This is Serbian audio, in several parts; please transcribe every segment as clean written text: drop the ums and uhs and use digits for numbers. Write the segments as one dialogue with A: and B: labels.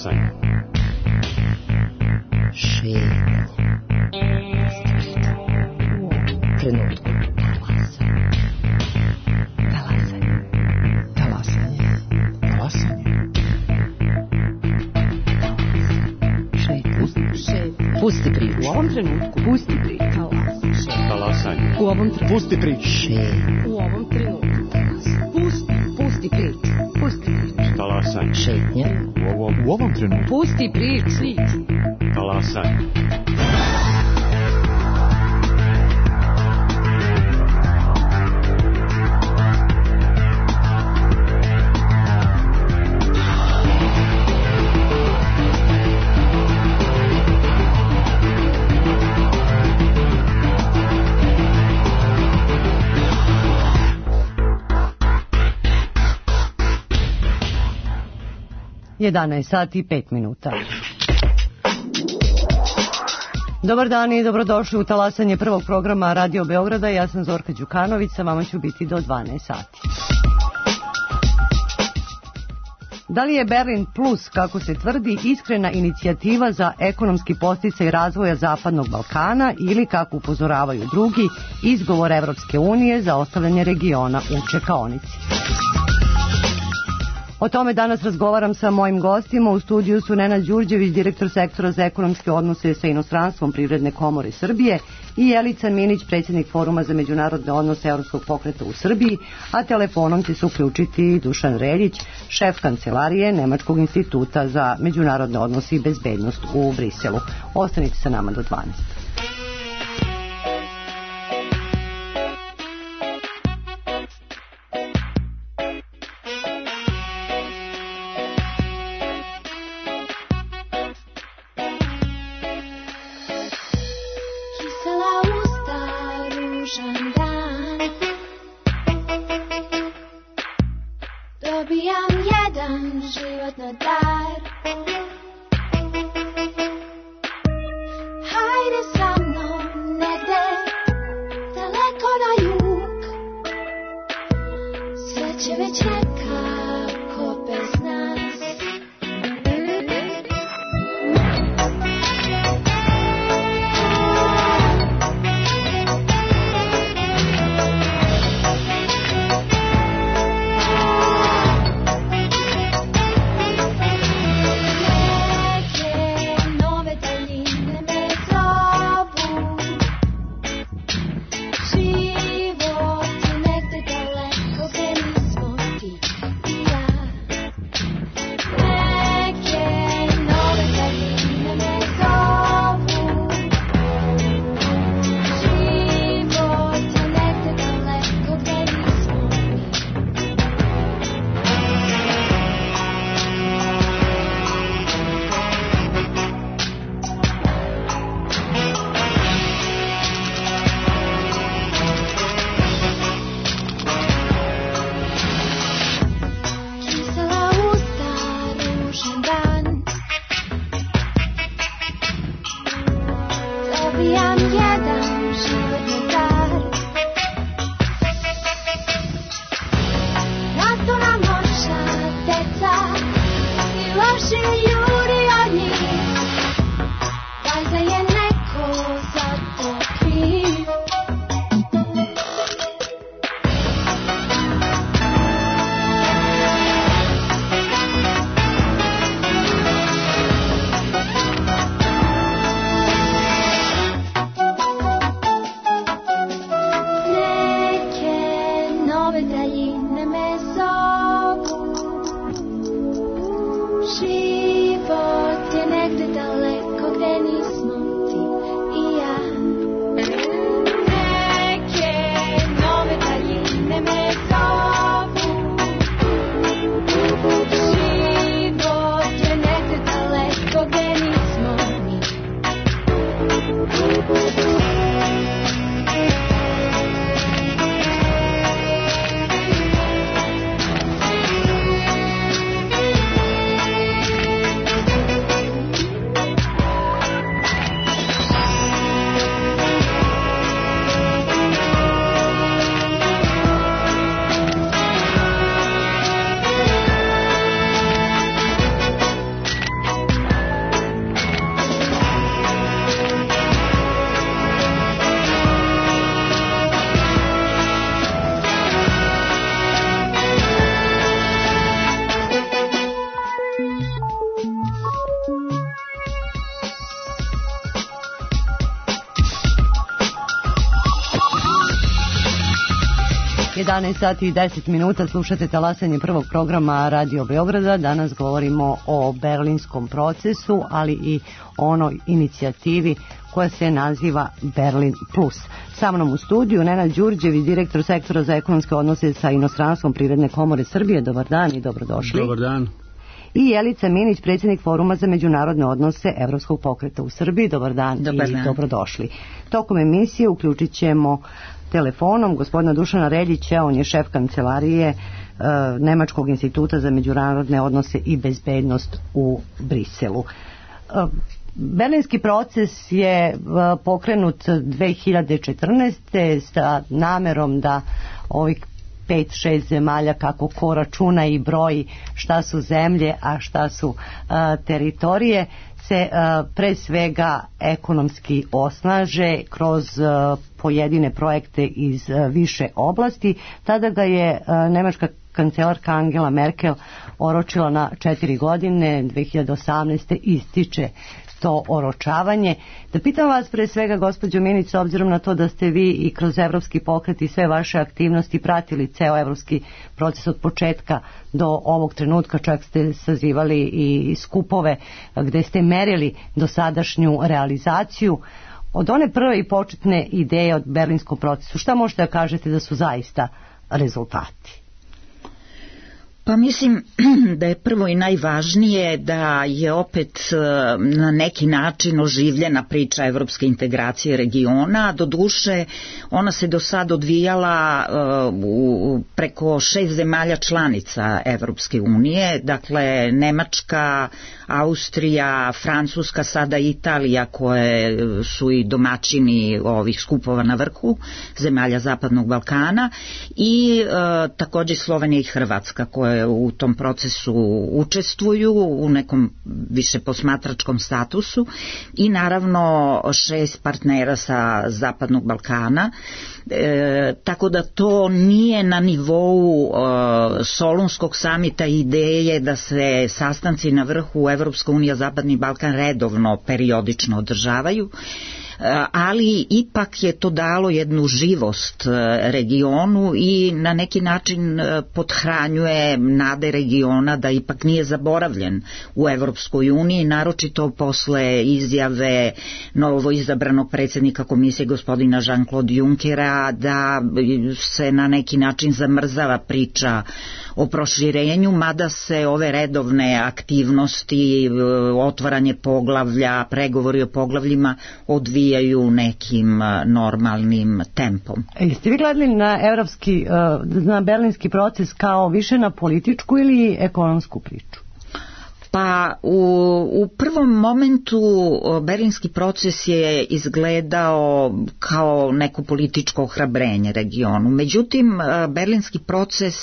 A: Talasanje.
B: Šetnje. Trenutku. Talasanje. Talasanje. Talasanje. Šetnje. Pusti priču. U ovom trenutku. Pusti priču.
A: Talasanje.
B: U ovom trenutku.
A: Pusti priču.
B: Šetnje. U ovom trenutku. Pusti priču. Pusti priču.
A: Talasanje.
B: Šetnje.
A: U ovom trenutku.
B: Pusti priču.
A: Talasanje.
C: Jedanaest sati i 5 minuta. Dobar dan i dobrodošli u talasanje prvog programa Radio Beograda. Ja sam Zorka Đukanović, sa vama ću biti do 12 sati. Da li je Berlin Plus, kako se tvrdi, iskrena inicijativa za ekonomski podsticaj razvoja Zapadnog Balkana ili, kako upozoravaju drugi, izgovor Evropske unije za ostavljanje regiona u čekaonici? O tome danas razgovaram sa mojim gostima. U studiju su Nenad Đurđević, direktor sektora za ekonomske odnose sa inostranstvom Privredne komore Srbije, i Jelica Minić, predsjednik Foruma za međunarodne odnose Evropskog pokreta u Srbiji, a telefonom će se uključiti Dušan Reljić, šef kancelarije Nemačkog instituta za međunarodne odnose i bezbednost u Briselu. Ostanite sa nama do 12. 11 sati i 10 minuta, slušate talasanje prvog programa Radio Beograda. Danas govorimo o berlinskom procesu, ali i onoj inicijativi koja se naziva Berlin Plus. Sa mnom u studiju Nenad Đurđević, direktor sektora za ekonomske odnose sa inostranstvom Privredne komore Srbije. Dobar dan i dobrodošli.
D: Dobar dan.
C: I Jelica Minić, predsjednik Foruma za međunarodne odnose Evropskog pokreta u Srbiji. Dobar dan i dobrodošli. Tokom emisije uključit ćemo telefonom gospodina Dušana Reljića, on je šef kancelarije Nemačkog instituta za međunarodne odnose i bezbednost u Briselu. Berlinski proces je pokrenut 2014. sa namerom da ovih 5-6 zemalja, kako ko računa i broji šta su zemlje, a šta su teritorije, se pre svega ekonomski osnaže kroz pojedine projekte iz više oblasti. Tada ga je nemačka kancelarka Angela Merkel oročila na 4 godine, 2018. ističe to oročavanje. Da pitam vas pre svega, gospođo Minić, s obzirom na to da ste vi i kroz evropski pokret i sve vaše aktivnosti pratili ceo evropski proces od početka do ovog trenutka, čak ste sazivali i skupove gde ste merili dosadašnju realizaciju. Od one prve i početne ideje od berlinskom procesu, šta možete da kažete da su zaista rezultati?
E: Pa mislim da je prvo i najvažnije da je opet na neki način oživljena priča evropske integracije regiona. Doduše, ona se do sad odvijala preko 6 zemalja članica Evropske unije, dakle Nemačka, Austrija, Francuska, sada Italija, koje su i domaćini ovih skupova na vrhu zemalja Zapadnog Balkana, i također Slovenija i Hrvatska, koje u tom procesu učestvuju u nekom više posmatračkom statusu, i naravno 6 partnera sa Zapadnog Balkana. Tako da to nije na nivou Solunskog samita ideje da se sastanci na vrhu Evropska unija Zapadni Balkan redovno periodično održavaju, ali ipak je to dalo jednu živost regionu i na neki način pothranjuje nade regiona da ipak nije zaboravljen u Evropskoj uniji, naročito posle izjave novoizabranog predsjednika komisije gospodina Jean-Claude Junckera da se na neki način zamrzava priča o proširenju, mada se ove redovne aktivnosti, otvaranje poglavlja, pregovori o poglavljima odvijaju nekim normalnim tempom.
C: Jeste vi gledali na berlinski proces kao više na političku ili ekonomsku priču?
E: Pa u prvom momentu berlinski proces je izgledao kao neko političko ohrabrenje regionu. Međutim, berlinski proces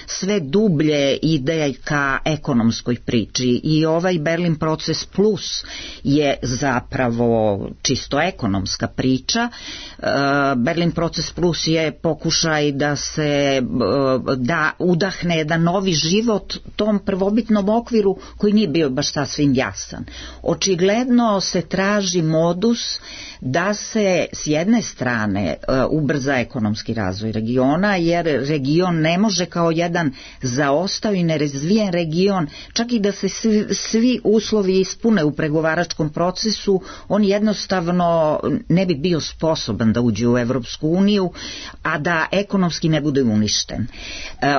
E: sve dublje ide ka ekonomskoj priči i ovaj Berlin proces plus je zapravo čisto ekonomska priča. Berlin proces plus je pokušaj da se udahne jedan novi život tom prvobitnom okviru koji nije bio baš sasvim jasan. Očigledno se traži modus da se s jedne strane ubrza ekonomski razvoj regiona, jer region ne može kao jedan zaostao i nerazvijen region, čak i da se svi uslovi ispune u pregovaračkom procesu, on jednostavno ne bi bio sposoban da uđe u Evropsku uniju, a da ekonomski ne bude uništen.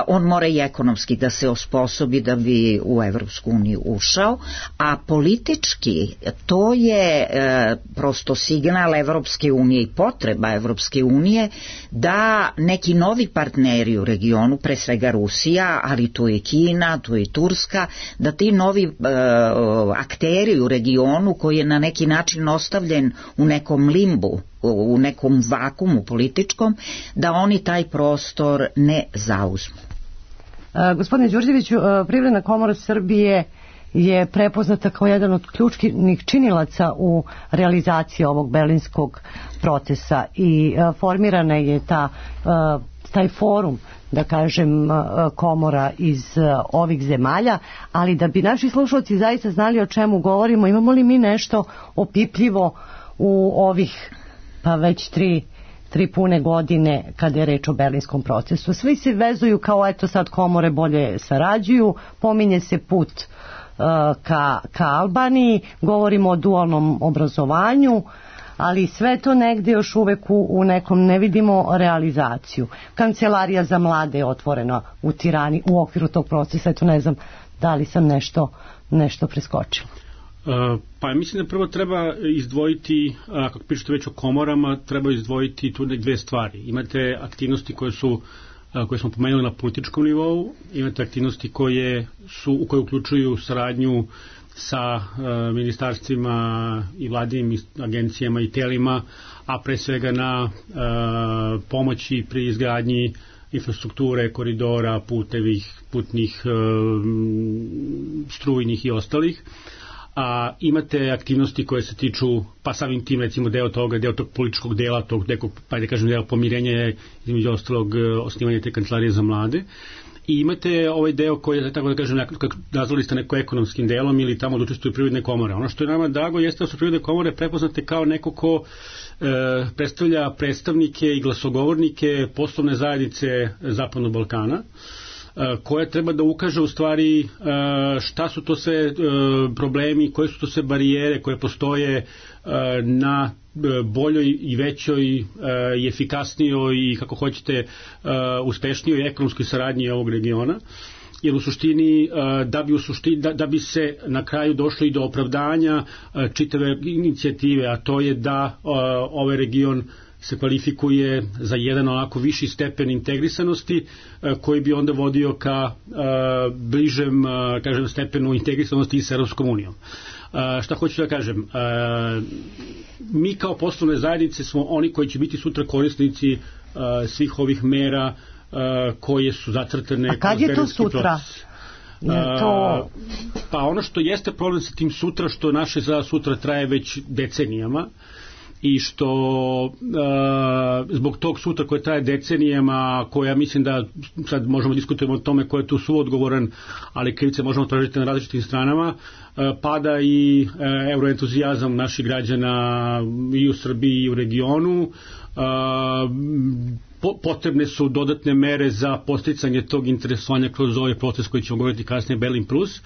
E: On mora i ekonomski da se osposobi da bi u Evropsku uniju ušao, a politički to je prosto signal Evropske unije i potreba Evropske unije da neki novi partneri u regionu, pre svega Rusija, ali tu je i Kina, tu je i Turska, da ti novi akteri u regionu koji je na neki način ostavljen u nekom limbu, u nekom vakumu političkom, da oni taj prostor ne zauzmu.
C: Gospodine Đurđeviću, Privredna komora Srbije je prepoznata kao jedan od ključnih činilaca u realizaciji ovog berlinskog procesa i formirana je taj forum, da kažem, komora iz ovih zemalja, ali da bi naši slušalci zaista znali o čemu govorimo, imamo li mi nešto opipljivo u ovih pa već 3 pune godine kada je reč o berlinskom procesu. Svi se vezuju kao eto sad komore bolje sarađuju, pominje se put ka Albaniji, govorimo o dualnom obrazovanju, ali sve to negde još uvek u nekom ne vidimo realizaciju. Kancelarija za mlade je otvorena u Tirani u okviru tog procesa, eto ne znam da li sam nešto preskočila.
D: Pa mislim da prvo treba izdvojiti, kako pričate već o komorama, treba izdvojiti tu dve stvari. Imate aktivnosti koje smo pomenuli na političkom nivou, imate aktivnosti koje uključuju saradnju sa ministarstvima i vladinim agencijama i telima, a pre svega na pomoći pri izgradnji infrastrukture, koridora, putnih, strujnih i ostalih. A imate aktivnosti koje se tiču, pa samim tim recimo deo tog političkog dela, tog nekog, pa da kažem, deo pomirenja je između ostalog osnivanje te kancelarije za mlade. I imate ovaj deo koji je, tako da kažem, nazvali ste neko ekonomskim delom ili tamo da učestvuju privredne komore. Ono što je nama drago jeste da su privredne komore prepoznate kao neko ko predstavlja predstavnike i glasogovornike poslovne zajednice Zapadnog Balkana, koja treba da ukaže u stvari šta su to sve problemi, koje su to sve barijere koje postoje na boljoj i većoj i efikasnijoj i kako hoćete uspešnijoj ekonomskoj saradnji ovog regiona. Jer u suštini da bi se na kraju došlo i do opravdanja čitave inicijative, a to je da ovaj region se kvalifikuje za jedan onako viši stepen integrisanosti koji bi onda vodio ka bližem, kažem, stepenu integrisanosti i s Europskom unijom. Šta hoću da kažem? Mi kao poslovne zajednice smo oni koji će biti sutra korisnici svih ovih mera koje su zacrtane.
C: A kad je to sutra?
D: Pa ono što jeste problem sa tim sutra, što naše za sutra traje već decenijama, i što zbog tog sutra koje traje decenijama, koja mislim da sad možemo diskutujemo o tome ko je tu suodgovoran, ali krivice možemo tražiti na različitim stranama, pada i euroentuzijazam naših građana i u Srbiji i u regionu. Potrebne su dodatne mere za posticanje tog interesovanja kroz ovaj proces koji ćemo govoriti kasnije, Berlin Plus.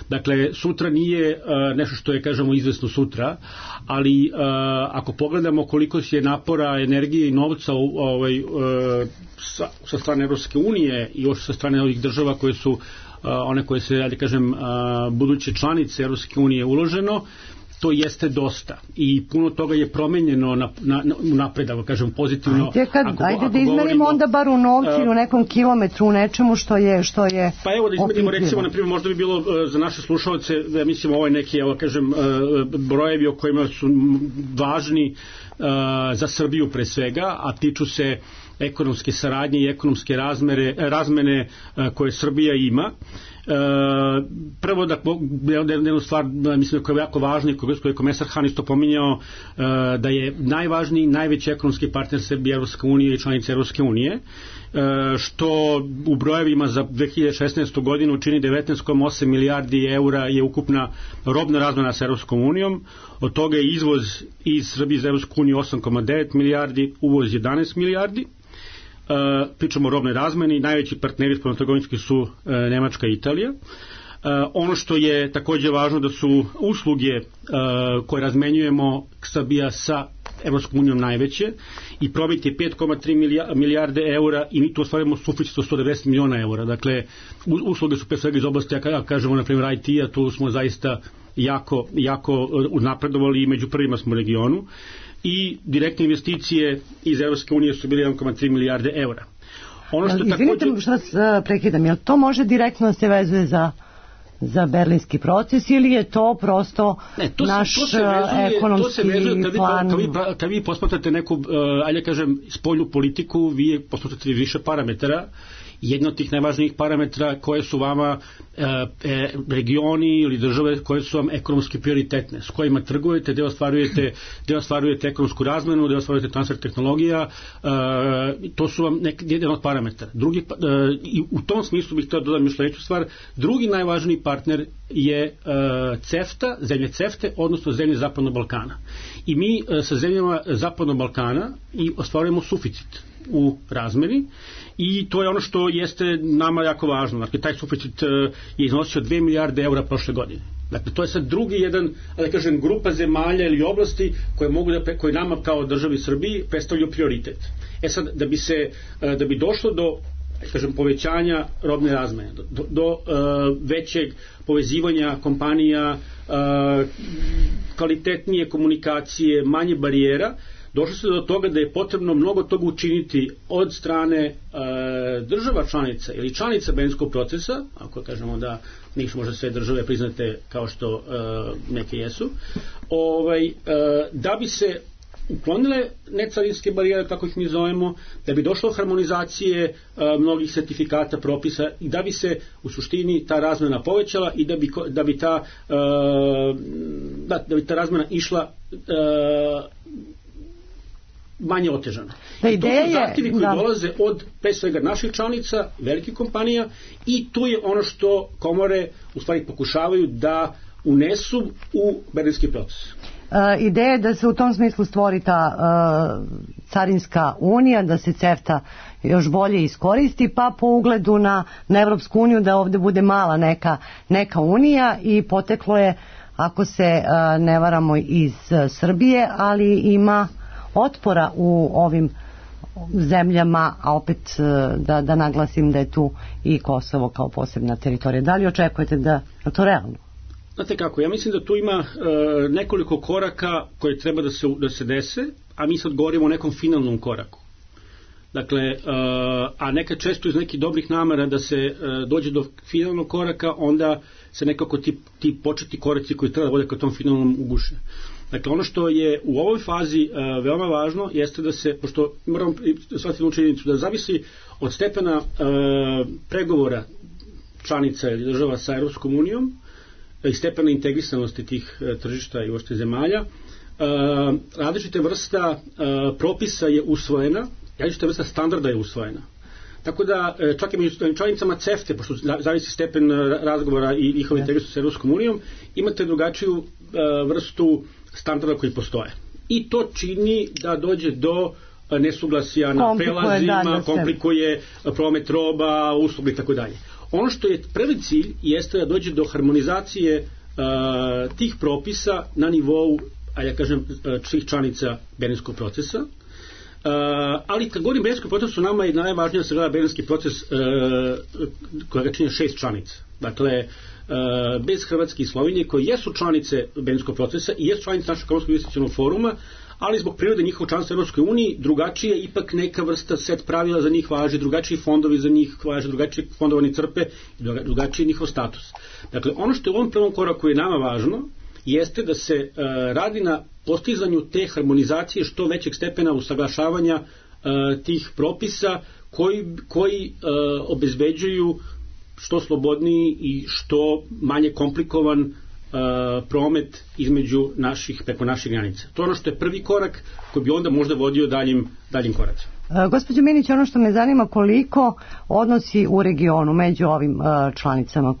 D: Dakle, sutra nije nešto što je, kažemo, izvesno sutra, ali ako pogledamo koliko je napora, energije i novca sa strane Evropske unije i još sa strane ovih država koje su one koje se, da kažem, buduće članice Evropske unije uloženo, to jeste dosta i puno toga je promenjeno napred, ako kažem pozitivno.
C: Ajde da izmerimo onda bar u novcu ili u nekom kilometru, u nečemu što je
D: pa evo da izmerimo, recimo, na primjer, možda bi bilo za naše slušalce, da mislim ovo je neki, evo kažem, brojevi o kojima su važni za Srbiju pre svega, a tiču se ekonomske saradnje i ekonomske razmene koje Srbija ima. Prvo da jednu stvar mislim koja je jako važna i koju je komesar Han isto pominjao, da je najvažniji, najveći ekonomski partner Srbije Evropska unija i članice Evropske unije, što u brojevima za 2016. godinu čini 19,8 milijardi eura je ukupna robna razmena sa Evropskom unijom, od toga je izvoz iz Srbije za Evropsku uniju 8,9 milijardi, uvoz 11 milijardi. Pričamo o robnoj razmeni, najveći partneri spoljnotrgovinski su Nemačka i Italija. Ono što je takođe važno da su usluge koje razmenjujemo Srbija sa Evropskom unijom najveće i probit je 5,3 milijarde eura i mi tu ostvarimo suficit od 190 miliona eura. Dakle, usluge su pre svega iz oblasti, ja kažemo, na primjer IT-a, tu smo zaista jako napredovali i među prvima smo u regionu. I direktne investicije iz Evropske unije su bili 1,3 milijarde eura. Ono što
C: izvinite što prekidam, jel to može direktno se vezuje za berlinski proces ili je to prosto naš ekonomski plan?
D: Kad vi posmatrate neku, ajde kažem, spoljnu politiku, vi posmatrate više parametara Jedan od tih najvažnijih parametra koje su vama regioni ili države koje su vam ekonomski prioritetne, s kojima trgujete, gde ostvarujete ekonomsku razmenu, gde ostvarujete transfer tehnologija, to su vam jedan od parametara. I u tom smislu bih htio dodati još sledeću stvar. Drugi najvažniji partner je CEFTA, zemlje CEFTE, odnosno zemlje Zapadnog Balkana. I mi sa zemljama Zapadnog Balkana i ostvarujemo suficit u razmeni i to je ono što jeste nama jako važno. Dakle, taj suficit je iznosio 2 milijarde eura prošle godine. Dakle, to je sad drugi jedan, da kažem, grupa zemalja ili oblasti koje nama kao državi Srbiji predstavljaju prioritet. Sad, da bi došlo do, kažem, povećanja robne razmene, do većeg povezivanja kompanija, kvalitetnije komunikacije, manje barijera, došlo se do toga da je potrebno mnogo toga učiniti od strane država članica ili članica Berlinskog procesa, ako kažemo da nisu možda sve države priznate kao što neke jesu, da bi se uklonile necarinske barijere, kako ih mi zovemo, da bi došlo razmonizacije mnogih sertifikata, propisa i da bi se u suštini ta razmena povećala i da bi ta razmena išla manje otežana. I to su zahtjevi koji dolaze od pre svega naših članica, velikih kompanija i tu je ono što komore u stvari pokušavaju da unesu u Berlinski proces.
C: Ideja je da se u tom smislu stvori ta carinska unija, da se CEFTA još bolje iskoristi, pa po ugledu na Evropsku uniju da ovde bude mala neka unija i poteklo je, ako se ne varamo, iz Srbije, ali ima otpora u ovim zemljama, a opet da naglasim da je tu i Kosovo kao posebna teritorija. Da li očekujete da je to realno?
D: Znate kako, ja mislim da tu ima nekoliko koraka koje treba da se dese, a mi sad govorimo o nekom finalnom koraku. Dakle, a nekad često iz nekih dobrih namera da se dođe do finalnog koraka, onda se nekako ti početni koraci koji treba da vode ka tom finalnom uguše. Dakle, ono što je u ovoj fazi veoma važno jeste da se, pošto moramo shvatiti jednu činjenicu, da zavisi od stepena pregovora članica ili država sa Evropskom unijom i stepena integrisanosti tih tržišta i uopšte zemalja, različite vrsta propisa je usvojena, različite vrsta standarda je usvojena. Tako da, čak i među članicama CEFTE, pošto zavisi stepen razgovora i njihove integracije sa Evropskom unijom, imate drugačiju vrstu standarda koji postoje. I to čini da dođe do nesuglasja na prelazima, komplikuje promet roba, usluga i tako dalje. Ono što je prvi cilj jeste da dođe do harmonizacije tih propisa na nivou, ja kažem, svih članica Berlinskog procesa. Ali kad govorim Berlinskom procesu, nama je najvažnije da se gleda Berlinski proces koja ga čine 6 članica. Dakle, bez Hrvatske i Slovenije, koje jesu članice Berlinskog procesa i jesu članice našeg ekonomskog investicionog foruma, ali zbog prirode njihovog članstva u Evropskoj uniji drugačije ipak neka vrsta set pravila za njih važi, drugačiji fondovi za njih važe, drugačiji fondovani crpe i drugačiji njihov status. Dakle, ono što je u ovom prvom koraku je nama važno jeste da se radi na postizanju te harmonizacije što većeg stepena usaglašavanja tih propisa koji obezbeđuju što slobodniji i što manje komplikovan promet preko naših granica. To je ono što je prvi korak koji bi onda možda vodio daljim koracima.
C: Gospođo Minić, ono što me zanima, koliko odnosi u regionu među ovim članicama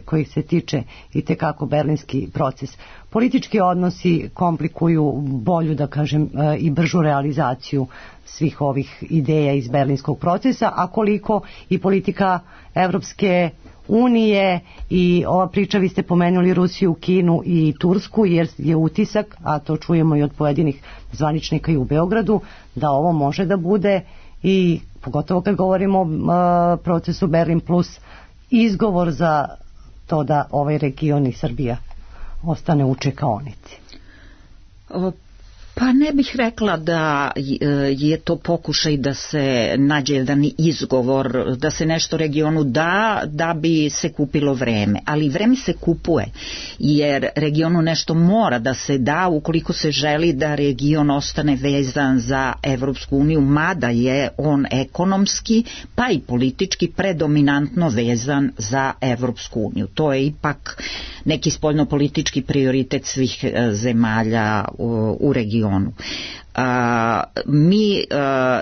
C: kojih se tiče i tekako Berlinski proces. Politički odnosi komplikuju bolju, da kažem, i bržu realizaciju svih ovih ideja iz Berlinskog procesa, a koliko i politika Evropske unije i ova priča, vi ste pomenuli Rusiju, Kinu i Tursku, jer je utisak, a to čujemo i od pojedinih zvaničnika i u Beogradu, da ovo može da bude i pogotovo kad govorimo o procesu Berlin plus izgovor za to da ovaj region i Srbija ostane u čekaonici.
E: Pa ne bih rekla da je to pokušaj da se nađe jedan izgovor, da se nešto regionu da bi se kupilo vreme, ali vreme se kupuje, jer regionu nešto mora da se da ukoliko se želi da region ostane vezan za Evropsku uniju, mada je on ekonomski pa i politički predominantno vezan za Evropsku uniju. To je ipak neki spoljnopolitički prioritet svih zemalja u regionu. Mi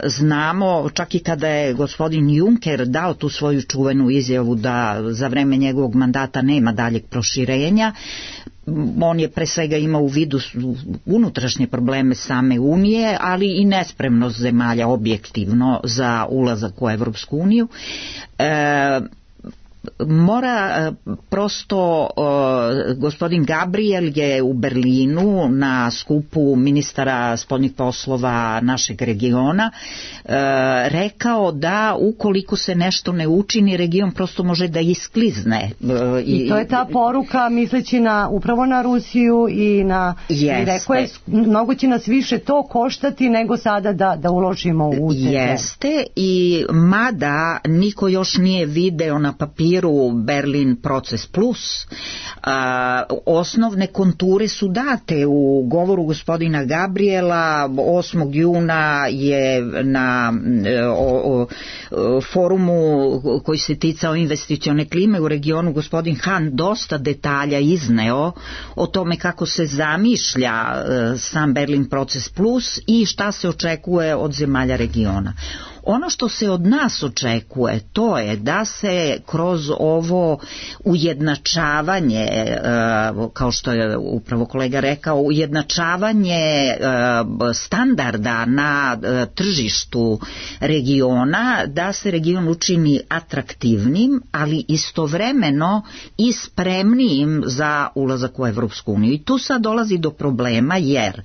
E: znamo, čak i kada je gospodin Juncker dao tu svoju čuvenu izjavu da za vreme njegovog mandata nema daljeg proširenja, on je pre svega imao u vidu unutrašnje probleme same Unije, ali i nespremnost zemalja objektivno za ulazak u Evropsku uniju. Mora prosto, gospodin Gabriel je u Berlinu na skupu ministara spoljnih poslova našeg regiona rekao da ukoliko se nešto ne učini, region prosto može da isklizne.
C: I to je ta poruka misleći upravo na Rusiju i na... I rekao je, mnogo će nas više to koštati nego sada da uložimo u te.
E: Jeste, i mada niko još nije video na papiru Berlin proces plus, osnovne konture su date u govoru gospodina Gabriela. 8. juna je na forumu koji se ticao investicione klime u regionu gospodin Han dosta detalja izneo o tome kako se zamišlja sam Berlin proces plus i šta se očekuje od zemalja regiona. Ono što se od nas očekuje, to je da se kroz ovo ujednačavanje, kao što je upravo kolega rekao, ujednačavanje standarda na tržištu regiona, da se region učini atraktivnim, ali istovremeno i spremnijim za ulazak u Evropsku uniju. I tu sad dolazi do problema, jer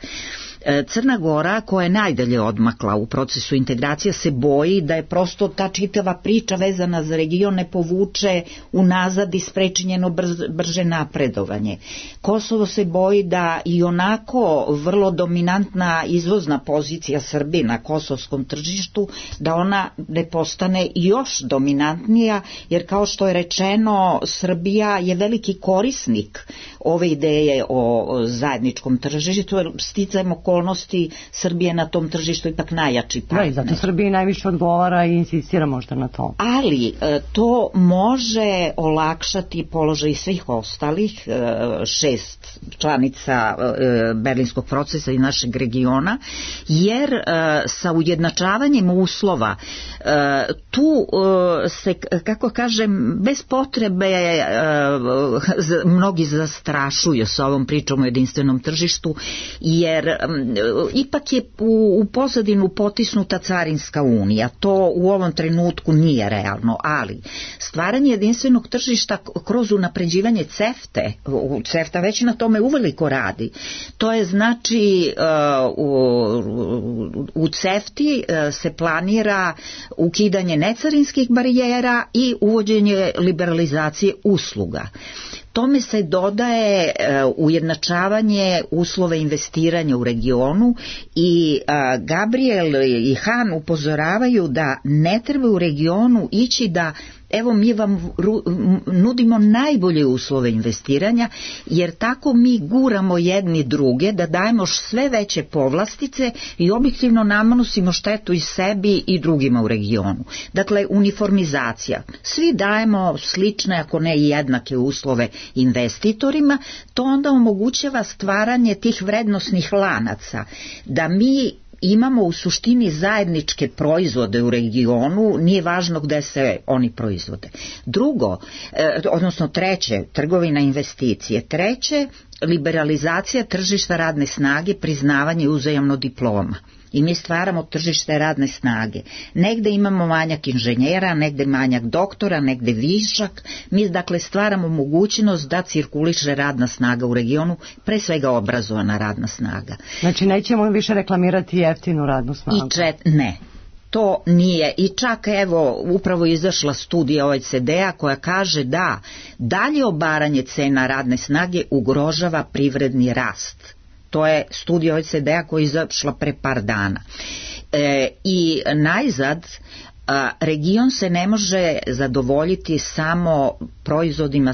E: Crna Gora, koja je najdalje odmakla u procesu integracija, se boji da je prosto ta čitava priča vezana za region ne povuče unazad i spreči njeno brže napredovanje. Kosovo se boji da i onako vrlo dominantna izvozna pozicija Srbije na kosovskom tržištu, da ona ne postane još dominantnija, jer kao što je rečeno, Srbija je veliki korisnik ove ideje o zajedničkom tržištu, jer sticajem okolnosti Srbije na tom tržištu ipak najjači partner.
C: Da, i zato Srbiji najviše odgovara i insistira možda na to.
E: Ali to može olakšati položaj svih ostalih 6 članica berlinskog procesa i našeg regiona, jer sa ujednačavanjem uslova tu se, kako kažem, bez potrebe mnogi zastrašuju sa ovom pričom o jedinstvenom tržištu, jer ipak je u pozadinu potisnuta carinska unija. To u ovom trenutku nije realno, ali stvaranje jedinstvenog tržišta kroz unapređivanje CEFTA već na tome uveliko radi. To je znači u CEFTI se planira ukidanje necarinskih barijera i uvođenje liberalizacije usluga. Tome se dodaje ujednačavanje uslova investiranja u regionu i Gabriel i Han upozoravaju da ne treba u regionu ići da evo mi vam nudimo najbolje uslove investiranja, jer tako mi guramo jedni druge da dajemo sve veće povlastice i objektivno nanosimo štetu i sebi i drugima u regionu. Dakle, uniformizacija. Svi dajemo slične, ako ne i jednake uslove investitorima, to onda omogućava stvaranje tih vrednosnih lanaca, da mi imamo u suštini zajedničke proizvode u regionu, nije važno gde se oni proizvode. Drugo, odnosno treće, trgovina investicije. Treće, liberalizacija tržišta radne snage, priznavanje uzajamno diploma. I mi stvaramo tržište radne snage. Negde imamo manjak inženjera, negde manjak doktora, negde višak. Mi dakle stvaramo mogućnost da cirkuliše radna snaga u regionu, pre svega obrazovana radna snaga.
C: Znači nećemo više reklamirati jeftinu radnu snagu.
E: Ne. To nije, i čak evo upravo izašla studija OECD-a koja kaže da dalje obaranje cena radne snage ugrožava privredni rast. To je studija OECD-a koja je izašla pre par dana. I najzad, region se ne može zadovoljiti samo proizvodima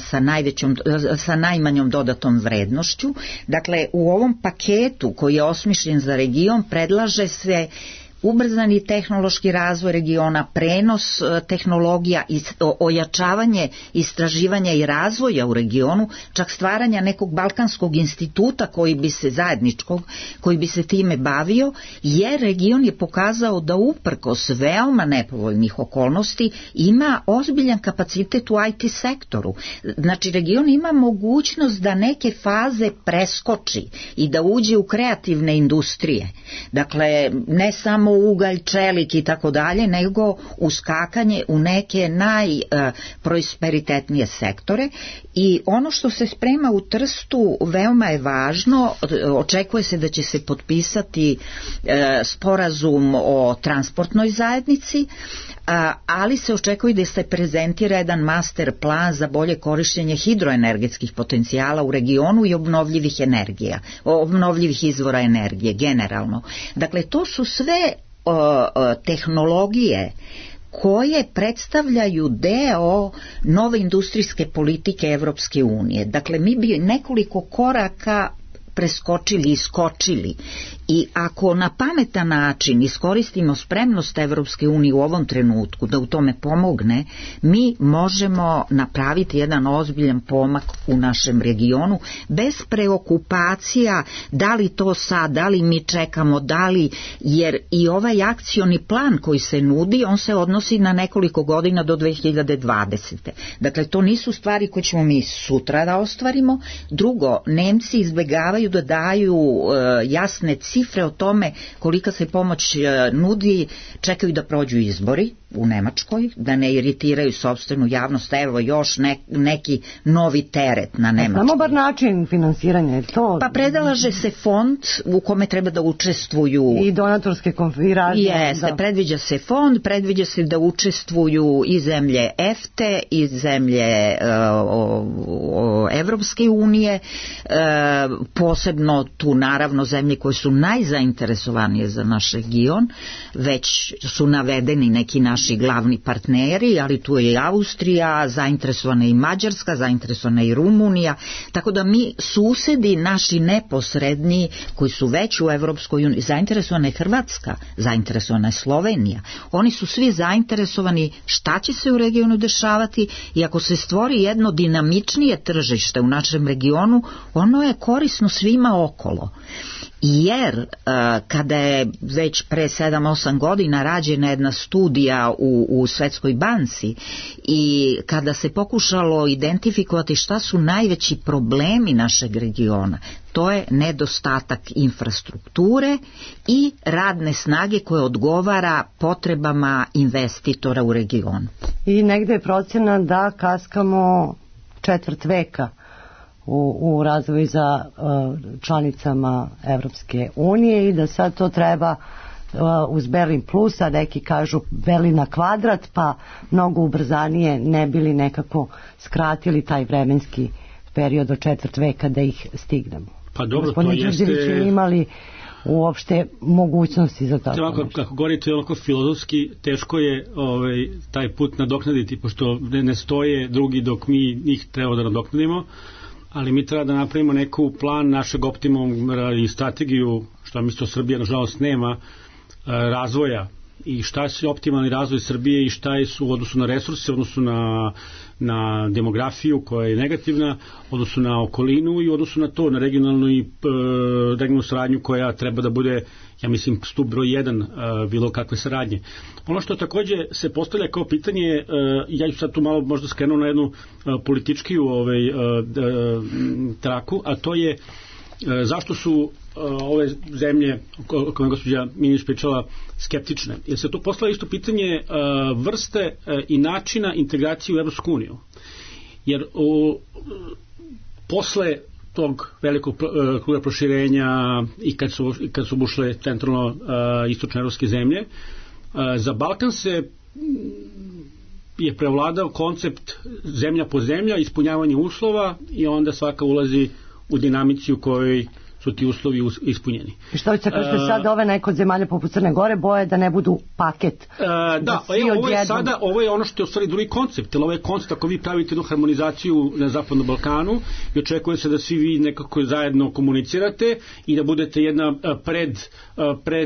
E: sa najmanjom dodatom vrednošću. Dakle, u ovom paketu koji je osmišljen za region predlaže se ubrzani tehnološki razvoj regiona, prenos tehnologija, ojačavanje istraživanja i razvoja u regionu, čak stvaranja nekog balkanskog instituta koji bi se time bavio, jer region je pokazao da uprkos veoma nepovoljnih okolnosti ima ozbiljan kapacitet u IT sektoru. Znači, region ima mogućnost da neke faze preskoči i da uđe u kreativne industrije. Dakle, ne samo ugalj, čelik i tako dalje, nego uskakanje u neke najprosperitetnije sektore. I ono što se sprema u Trstu veoma je važno. Očekuje se da će se potpisati sporazum o transportnoj zajednici, ali se očekuje da se prezentira jedan master plan za bolje korištenje hidroenergetskih potencijala u regionu i obnovljivih izvora energije generalno. Dakle, to su sve tehnologije koje predstavljaju deo nove industrijske politike Evropske unije. Dakle, mi bi nekoliko koraka preskočili i skočili. I ako na pametan način iskoristimo spremnost Evropske unije u ovom trenutku da u tome pomogne, mi možemo napraviti jedan ozbiljan pomak u našem regionu bez preokupacija da li to sad, da li mi čekamo, jer i ovaj akcioni plan koji se nudi, on se odnosi na nekoliko godina do 2020. Dakle, to nisu stvari koje ćemo mi sutra da ostvarimo. Drugo, Nemci izbegavaju da daju jasne cifre o tome kolika se pomoć nudi, čekaju da prođu izbori u Nemačkoj, da ne iritiraju sopstvenu javnost. Evo još neki novi teret na Nemačkoj.
C: Samo bar način finansiranja je to.
E: Pa predlaže se fond u kome treba da učestvuju
C: i donatorske konfiguracije.
E: Jeste, predviđa se fond, predviđa se da učestvuju i zemlje EFTE i zemlje Evropske unije, posebno tu naravno zemlje koje su najzainteresovanije za naš region, već su navedeni neki naši glavni partneri, ali tu je i Austrija, zainteresovana i Mađarska, zainteresovana i Rumunija, tako da mi susedi naši neposredni koji su već u Evropskoj uniji, zainteresovana je Hrvatska, zainteresovana je Slovenija, oni su svi zainteresovani šta će se u regionu dešavati i ako se stvori jedno dinamičnije tržište u našem regionu, ono je korisno svima okolo. Jer kada je već pre 7-8 godina rađena jedna studija u Svetskoj banci i kada se pokušalo identifikovati šta su najveći problemi našeg regiona, to je nedostatak infrastrukture i radne snage koje odgovara potrebama investitora u regionu.
C: I negde je procjena da kaskamo četvrt veka u razvoju za članicama Evropske unije i da sad to treba uz Berlin plus, a neki kažu Berlin na kvadrat, pa mnogo ubrzanije ne bili nekako skratili taj vremenski period od četvrt veka da ih stignemo.
D: Pa dobro,
C: Gospodin
D: to jeste...
C: Đurđević imali uopšte mogućnosti za tako.
D: Kako govorite onako filozofski, teško je taj put nadoknaditi, pošto ne stoje drugi dok mi njih treba da nadoknadimo, ali mi treba da napravimo neku plan našeg optimuma i strategiju, što mislim Srbija nažalost nema, razvoja i šta je optimalni razvoj Srbije i šta je u odnosu na resurse, u odnosu na demografiju koja je negativna, u odnosu na okolinu i u odnosu na to, na regionalnu saradnju koja treba da bude, ja mislim, stup broj 1 bilo kakve saradnje. Ono što takođe se postavlja kao pitanje, ja ću sad tu malo možda skrenuo na jednu političkiju traku, a to je zašto su ove zemlje o kojima gospođa Minić pričala skeptične. Jer se to postavlja isto pitanje vrste i načina integracije u Evropsku uniju. Jer posle tog velikog kruga proširenja i kad su ušle centralno istočne evropske zemlje, za Balkan se je prevladao koncept zemlja po zemlja, ispunjavanje uslova i onda svaka ulazi u dinamici u kojoj su ti uslovi ispunjeni.
C: I što će kažete sad ove neke od zemalja poput Crne Gore boje da ne budu paket?
D: Ovo je ono što je u stvari drugi koncept, jer ovo je koncept ako vi pravite jednu harmonizaciju na Zapadnom Balkanu i očekuje se da svi vi nekako zajedno komunicirate i da budete jedna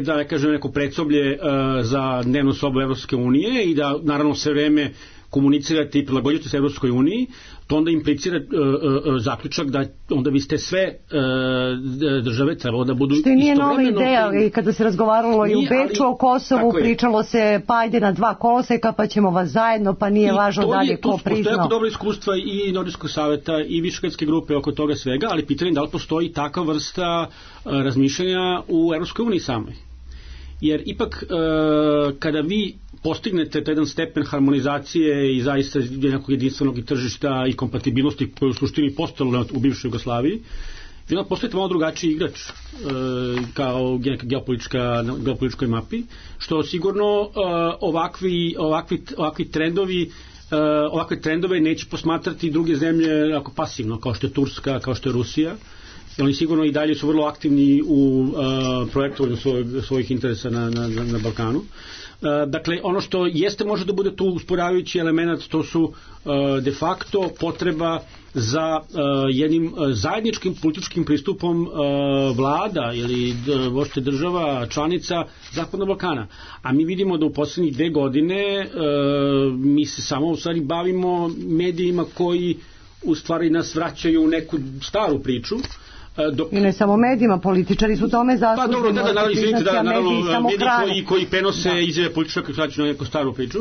D: da kažem neko predsoblje za dnevnu sobu Evropske unije i da naravno sve vreme komunicirate i prilagođujete se Evropskoj uniji, to onda implicira zaključak da onda vi ste sve države trebalo da budu
C: istovremeno... Što nije nova ideja, i kada se razgovaralo i u Beču o Kosovu, pričalo se pa ajde na 2 koloseka pa ćemo vas zajedno, pa nije važno dalje ko priznao.
D: Postoje jako dobro iskustva i Nordijskog saveta i Višegradske grupe oko toga svega, ali pitanje da li postoji takva vrsta razmišljanja u Evropskoj uniji samoj. Jer ipak kada vi postignete jedan stepen harmonizacije i zaista nekog jedinstvenog tržišta i kompatibilnosti koje u suštini postojalo u bivšoj Jugoslaviji, vi onda postojite malo drugačiji igrač kao geopolitičkoj mapi, što sigurno ovakvi trendove neće posmatrati druge zemlje ako pasivno, kao što je Turska, kao što je Rusija. Oni sigurno i dalje su vrlo aktivni u projektovanju svojih interesa na Balkanu. Dakle, ono što jeste može da bude tu usporavajući element, to su de facto potreba za jednim zajedničkim političkim pristupom vlada ili vođe država članica Zapadnog Balkana. A mi vidimo da u poslednjih 2 godine mi se samo u stvari bavimo medijima koji u stvari nas vraćaju u neku staru priču. I
C: ne samo medijima, političari su tome zaslužni.
D: Pa dobro, mediji koji prenose izjave političara koji vraćaju na neku staru priču.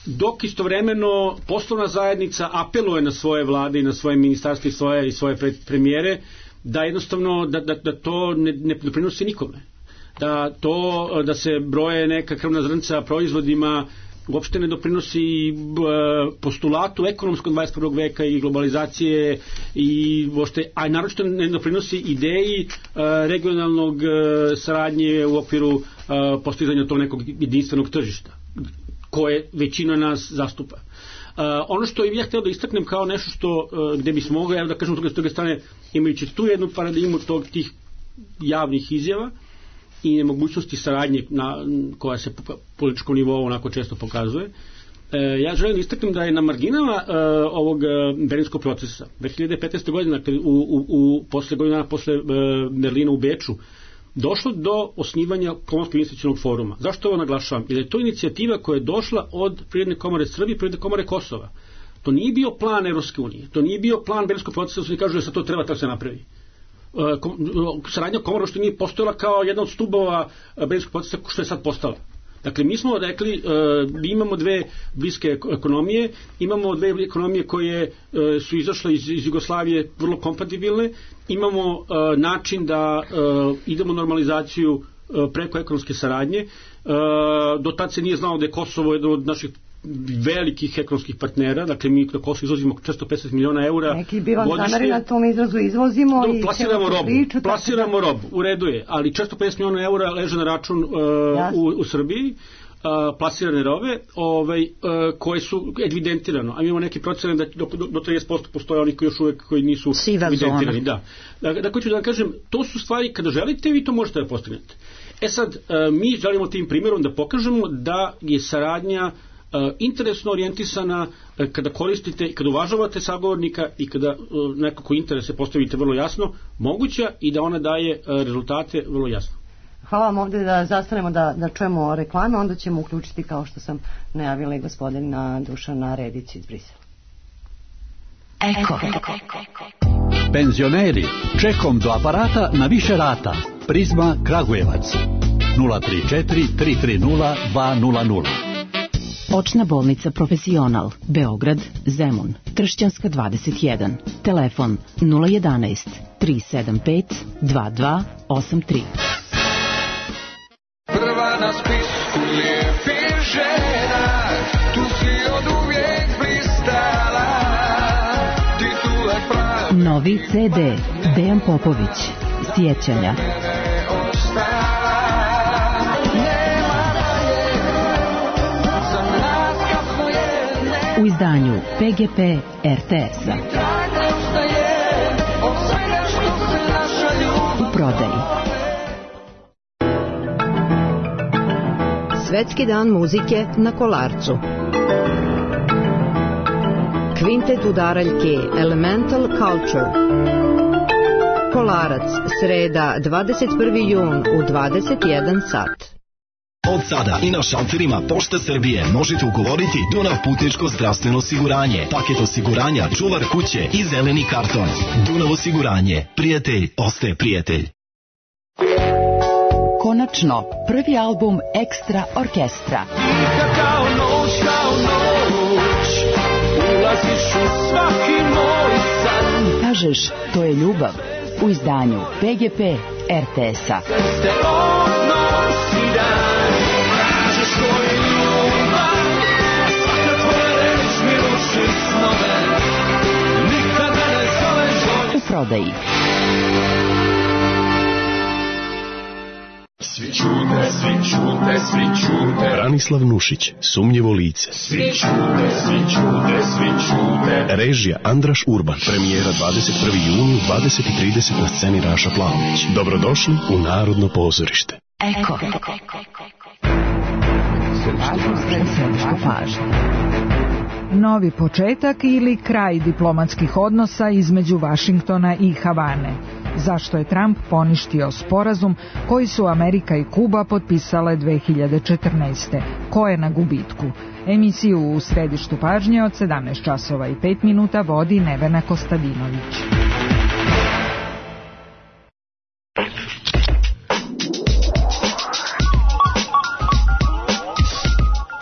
D: Dok istovremeno poslovna zajednica apeluje na svoje vlade i na svoje ministarstva i svoje premijere da jednostavno da to ne prinosi nikome. Da se broje neka krvna zrnca proizvodima uopšte ne doprinosi postulatu ekonomskog 21. veka i globalizacije a naročito ne doprinosi ideji regionalnog saradnje u okviru postizanja tog nekog jedinstvenog tržišta koje većina nas zastupa. Ono što ja htio da istaknem kao nešto gde bismo mogli, da kažem s druge strane, imajući tu jednu paradigmu tih javnih izjava i nemogućnosti saradnje koja se po političkom nivou onako često pokazuje. Ja želim da istaknem da je na marginama ovog berlinskog procesa 2015. godine, posle godina posle Berlina u Beču, došlo do osnivanja Komorskog investicionog foruma. Zašto ovo naglašavam? Jer je to inicijativa koja je došla od Privredne komore Srbije i Privredne komore Kosova. To nije bio plan Evropske unije, to nije bio plan berlinskog procesa, da se kažu da se to treba tako se napravi. Saradnja komora što nije postojala kao jedna od stubova berlinskog procesa što je sad postala. Dakle, mi smo rekli, imamo 2 bliske ekonomije, imamo 2 ekonomije koje su izašle iz Jugoslavije vrlo kompatibilne, imamo način da idemo normalizaciju preko ekonomske saradnje. Do tad se nije znalo da je Kosovo jedan od naših velikih ekonomskih partnera, dakle mi na Kosovo izvozimo 450 miliona eura godišnje.
C: Neki bi vam zameri na tom izrazu izvozimo i
D: plasiramo robu, u redu je, ali 450 miliona eura leže na račun u Srbiji, plasirane robe koje su evidentirano, a mi imamo neki procene da do 30% postoje oni koji još uvek koji nisu evidentirani. Dakle, ću da vam kažem, to su stvari, kada želite, vi to možete da postignete. Sad, mi želimo tim primjerom da pokažemo da je saradnja interesno orijentisana kada koristite, kada uvažavate sagovornika i kada nekako interese postavite vrlo jasno, moguća i da ona daje rezultate vrlo jasno.
C: Hvala vam, ovdje da zastanemo da čujemo reklame, onda ćemo uključiti, kao što sam najavila, i gospodina Dušana Redića iz Brisela.
F: Eko. Penzioneri, čekom do aparata na više rata. Prizma Kragujevac 034 330 200.
G: Očna bolnica Profesional, Beograd, Zemun, Tršćanska 21, telefon 011 375 2283.
H: Prva na spisku lijepih žena, tu si od uvijek blistala, titula pravi.
G: Novi CD, Dejan Popović, Sjećanja. U izdanju PGP RTS-a.
I: Svetski dan muzike na Kolarcu. Kvintet udaraljke Elemental Culture. Kolarac, sreda, 21. jun u 21 sat.
J: Od sada i na šalterima Pošte Srbije možete ugovoriti Dunav putničko zdravstveno osiguranje, paket osiguranja, čuvar kuće i zeleni karton. Dunav osiguranje. Prijatelj ostaje prijatelj.
G: Konačno, prvi album Ekstra orkestra.
H: Kao noć, ulaziš u svaki moj san.
G: Kažeš, to je ljubav, u izdanju PGP RTS-a.
H: Ste odnosi dan, kažeš to je ljubav, svaka tvoja reč mi ruši snove, nikada ne zoveš bolje.
G: U prodaji.
H: Svi čute, svi čute, svi čute.
K: Branislav Nušić, Sumnjivo lice.
H: Svi čute, svi čute, svi čute.
K: Režija Andraš Urban. Premijera 21. juni u 20:30 na sceni Raša Plavović. Dobrodošli u Narodno pozorište.
G: Eko. Središta pažnje.
L: Novi početak ili kraj diplomatskih odnosa između Vašingtona i Havane. Zašto je Trump poništio sporazum koji su Amerika i Kuba potpisale 2014. Ko je na gubitku? Emisiju u Središtu pažnje od 17 časova i 5 minuta vodi Nevena Kostadinović.